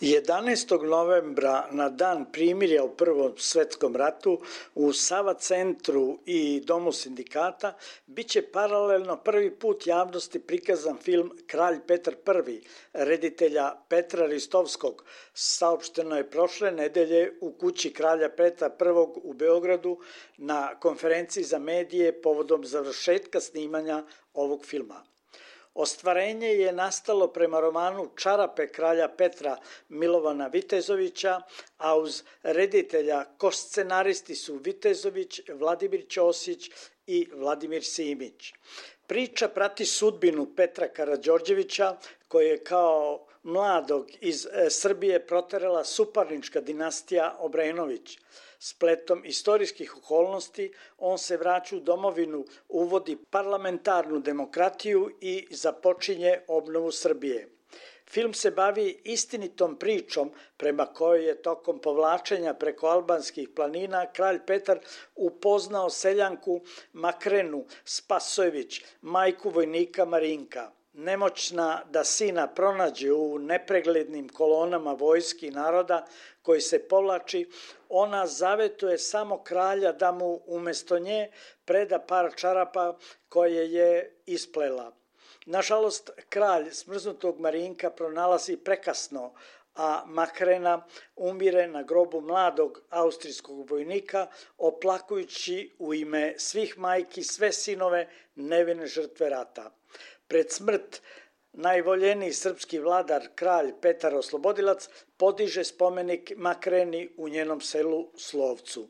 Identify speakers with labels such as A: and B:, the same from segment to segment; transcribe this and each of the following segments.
A: 11. novembra na dan primirja u Prvom svetskom ratu u Sava centru i Domu sindikata biće paralelno prvi put javnosti prikazan film Kralj Petar I, reditelja Petra Ristovskog. Saopšteno je prošle nedelje u kući Kralja Petra I u Beogradu na konferenciji za medije povodom završetka snimanja ovog filma. Ostvarenje je nastalo prema romanu Čarape kralja Petra Milovana Vitezovića, a uz reditelja koscenaristi su Vitezović, Vladimir Ćosić i Vladimir Simić. Priča prati sudbinu Petra Karađorđevića, koji je kao mladog iz Srbije proterala suparnička dinastija Obrenović. Spletom istorijskih okolnosti on se vraća u domovinu, uvodi parlamentarnu demokratiju i započinje obnovu Srbije. Film se bavi istinitom pričom prema kojoj je tokom povlačenja preko albanskih planina kralj Petar upoznao seljanku Makrenu Spasojević, majku vojnika Marinka. Nemoćna da sina pronađe u nepreglednim kolonama vojski naroda koji se povlači, ona zavetuje samo kralja da mu umesto nje preda par čarapa koje je isplela. Nažalost, kralj smrznutog Marinka pronalazi prekasno, a Makrena umire na grobu mladog austrijskog vojnika, oplakujući u ime svih majki sve sinove nevine žrtve rata. Pred smrt najvoljeniji srpski vladar, kralj Petar Oslobodilac, podiže spomenik Makreni u njenom selu Slovcu.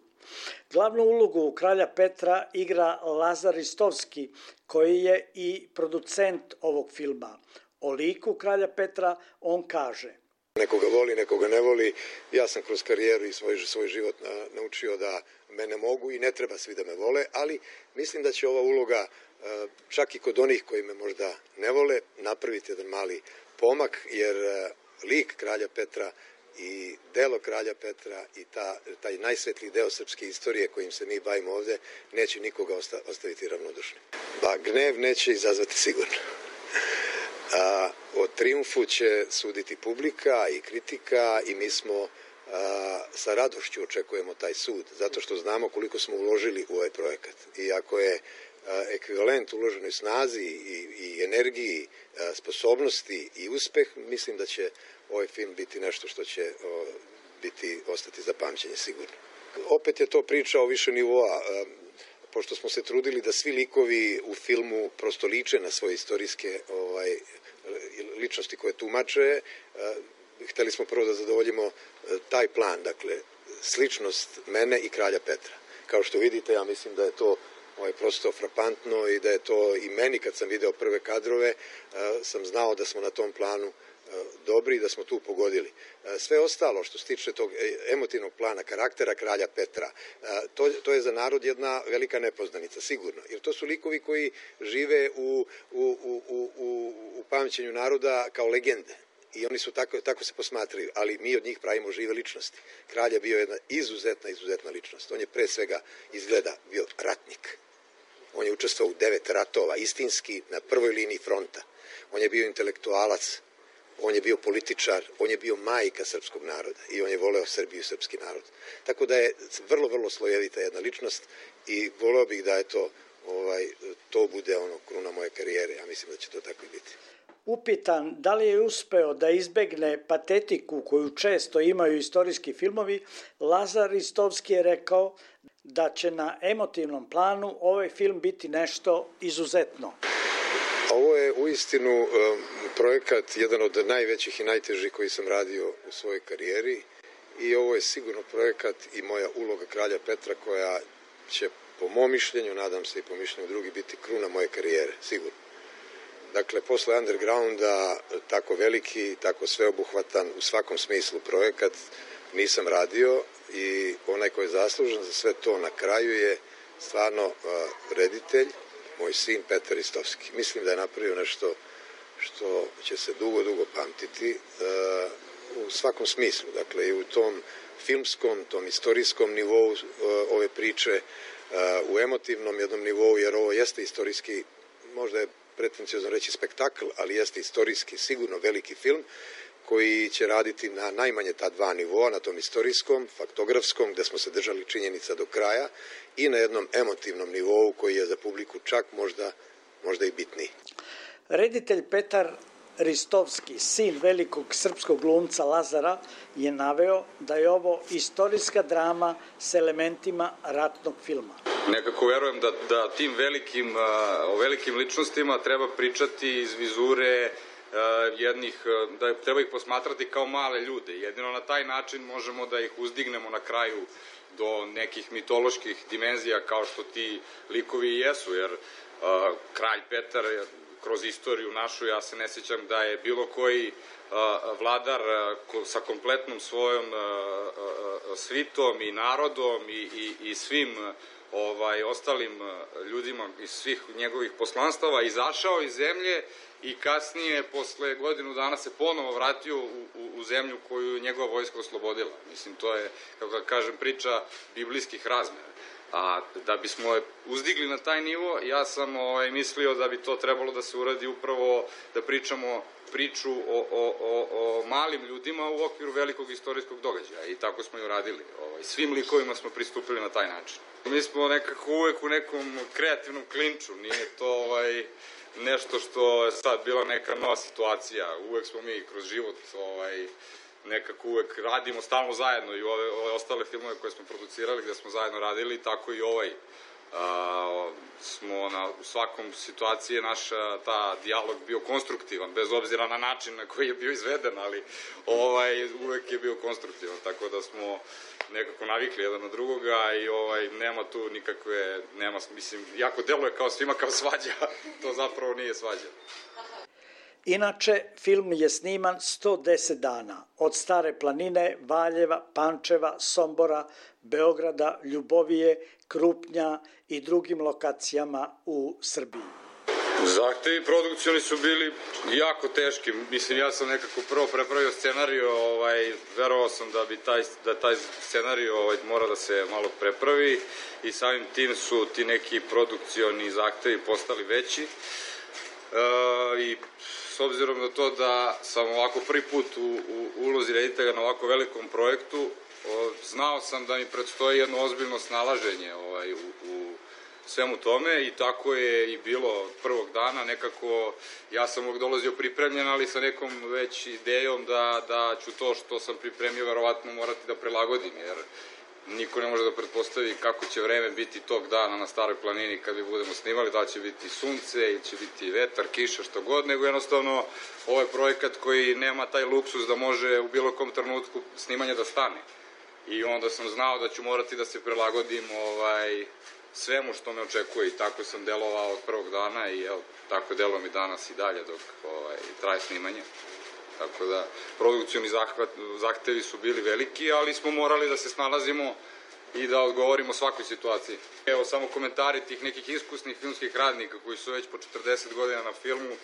A: Glavnu ulogu kralja Petra igra Lazar Ristovski, koji je i producent ovog filma. O liku kralja Petra on kaže:
B: Nekoga voli, nekoga ne voli. Ja sam kroz karijeru i svoj život naučio da mene mogu i ne treba svi da me vole, ali mislim da će ova uloga, čak i kod onih koji me možda ne vole, napraviti jedan mali pomak, jer lik kralja Petra i delo kralja Petra i taj najsvetliji deo srpske istorije kojim se mi bavimo ovde neće nikoga ostaviti ravnodušnim. Gnev neće izazvati sigurno. O trijumfu će suditi publika i kritika i mi smo sa radošću očekujemo taj sud, zato što znamo koliko smo uložili u ovaj projekat. I ako je ekvivalent uloženoj snazi i energiji, sposobnosti i uspeh, mislim da će ovaj film biti nešto što će ostati za pamćenje sigurno. Opet je to priča o više nivoa, pošto smo se trudili da svi likovi u filmu prosto liče na svoje istorijske ličnosti koje tumače, hteli smo prvo da zadovoljimo taj plan, dakle, sličnost mene i kralja Petra. Kao što vidite, ja mislim da je to prosto frapantno i da je to i meni, kad sam video prve kadrove, sam znao da smo na tom planu dobri i da smo tu pogodili. Sve ostalo što se tiče tog emotivnog plana, karaktera kralja Petra, to je za narod jedna velika nepoznanica, sigurno. Jer to su likovi koji žive u pamćenju naroda kao legende. I oni su tako se posmatraju, ali mi od njih pravimo žive ličnosti. Kralj je bio jedna izuzetna ličnost. On je pre svega izgleda bio ratnik. On je učestvovao u 9 ratova, istinski, na prvoj liniji fronta. On je bio intelektualac, on je bio političar, on je bio majka srpskog naroda i on je voleo Srbiju i srpski narod. Tako da je vrlo slojevita jedna ličnost i voleo bih da to bude kruna moje karijere. Ja mislim da će to tako i biti.
A: Upitan da li je uspeo da izbegne patetiku koju često imaju istorijski filmovi, Lazar Ristovski je rekao da će na emotivnom planu ovaj film biti nešto izuzetno.
B: Ovo je uistinu projekat, jedan od najvećih i najtežih koji sam radio u svojoj karijeri i ovo je sigurno projekat i moja uloga kralja Petra koja će po mom mišljenju, nadam se i po mišljenju drugih, biti kruna moje karijere, sigurno. Dakle, posle Undergrounda, tako veliki, tako sveobuhvatan u svakom smislu projekat nisam radio i onaj ko je zaslužen za sve to na kraju je stvarno reditelj, moj sin Petar Ristovski. Mislim da je napravio nešto što će se dugo pamtiti u svakom smislu. Dakle, i u tom filmskom, tom istorijskom nivou ove priče, u emotivnom jednom nivou, jer ovo jeste istorijski, možda je pretenciozno reći spektakl, ali jeste istorijski, sigurno veliki film koji će raditi na najmanje ta dva nivoa, na tom istorijskom, faktografskom, gde smo se držali činjenica do kraja, i na jednom emotivnom nivou koji je za publiku čak možda i bitniji.
A: Reditelj Petar Ristovski, sin velikog srpskog glumca Lazara, je naveo da je ovo istorijska drama s elementima ratnog filma.
C: Nekako verujem da tim velikim ličnostima treba pričati iz vizure jednih, da treba ih posmatrati kao male ljude. Jedino na taj način možemo da ih uzdignemo na kraju do nekih mitoloških dimenzija kao što ti likovi i jesu, jer kralj Petar kroz istoriju našu, ja se ne sjećam da je bilo koji vladar sa kompletnom svojom svitom i narodom i svim ostalim ljudima iz svih njegovih poslanstava izašao iz zemlje i kasnije, posle godinu dana, se ponovo vratio u zemlju koju njegova vojska oslobodila. Mislim, to je, kako kažem, priča biblijskih razmera. A da bismo je uzdigli na taj nivo, ja sam mislio da bi to trebalo da se uradi upravo da pričamo priču o malim ljudima u okviru velikog istorijskog događaja i tako smo i uradili. Svim likovima smo pristupili na taj način. Mi smo nekako uvek u nekom kreativnom klinču, nije to nešto što je sad bila neka nova situacija. Uvek smo mi kroz život nekako uvek radimo stalno zajedno i ove ostale filmove koje smo producirali gde smo zajedno radili, tako i smo u svakom situaciji naša ta dijalog bio konstruktivan, bez obzira na način na koji je bio izveden, ali uvek je bio konstruktivan, tako da smo nekako navikli jedan na drugoga i nema tu nikakve, mislim, jako deluje kao svima kao svađa, to zapravo nije svađa.
A: Inače, film je sniman 110 dana, od Stare planine, Valjeva, Pančeva, Sombora, Beograda, Ljubovije, Krupnja i drugim lokacijama u Srbiji.
C: Zahtevi produkcioni su bili jako teški. Mislim, ja sam nekako prvo prepravio scenariju, verovao sam da taj scenariju mora da se malo prepravi i samim tim su ti neki produkcioni zahtevi postali veći. I s obzirom na to da sam ovako prvi put u ulozi reditelja na ovako velikom projektu, znao sam da mi predstoji jedno ozbiljno snalaženje u svemu tome i tako je i bilo od prvog dana. Nekako ja sam uvijek dolazio pripremljen, ali sa nekom već idejom da ću to što sam pripremio verovatno morati da prilagodim, jer niko ne može da pretpostavi kako će vreme biti tog dana na Staroj planini kad mi budemo snimali, da će biti sunce ili će biti vetar, kiša, što god, nego jednostavno ovo je projekat koji nema taj luksus da može u bilo kom trenutku snimanja da stane. I onda sam znao da ću morati da se prilagodim svemu što me očekuje i tako sam delovao od prvog dana i tako delujem i danas i dalje dok traje snimanje. Tako da, produkcioni zahtevi su bili veliki, ali smo morali da se snalazimo i da odgovorimo svakoj situaciji. Evo, samo komentari tih nekih iskusnih filmskih radnika koji su već po 40 godina na filmu,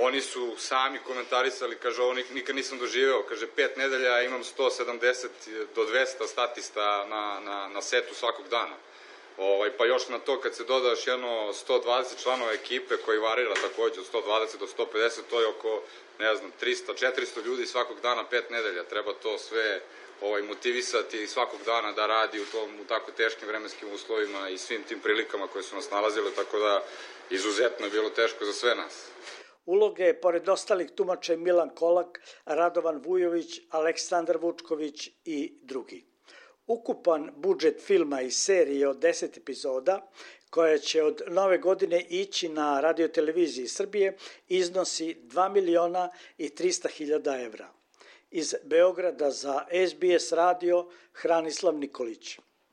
C: oni su sami komentarisali, kaže, ovo nikad nisam doživeo, kaže, 5 nedelja imam 170 do 200 statista na setu svakog dana. Pa još na to kad se doda još jedno 120 članova ekipe koji varira takođe od 120 do 150, to je oko, ne znam, 300-400 ljudi svakog dana 5 nedelja. Treba to sve motivisati svakog dana da radi u tako teškim vremenskim uslovima i svim tim prilikama koje su nas nalazile, tako da izuzetno je bilo teško za sve nas.
A: Uloge je, pored ostalih tumača, Milan Kolak, Radovan Vujović, Aleksandar Vučković i drugi. Ukupan budžet filma i serije od 10 epizoda, koja će od nove godine ići na radioteleviziji Srbije, iznosi 2.300.000 evra. Iz Beograda za SBS radio Hranislav Nikolić.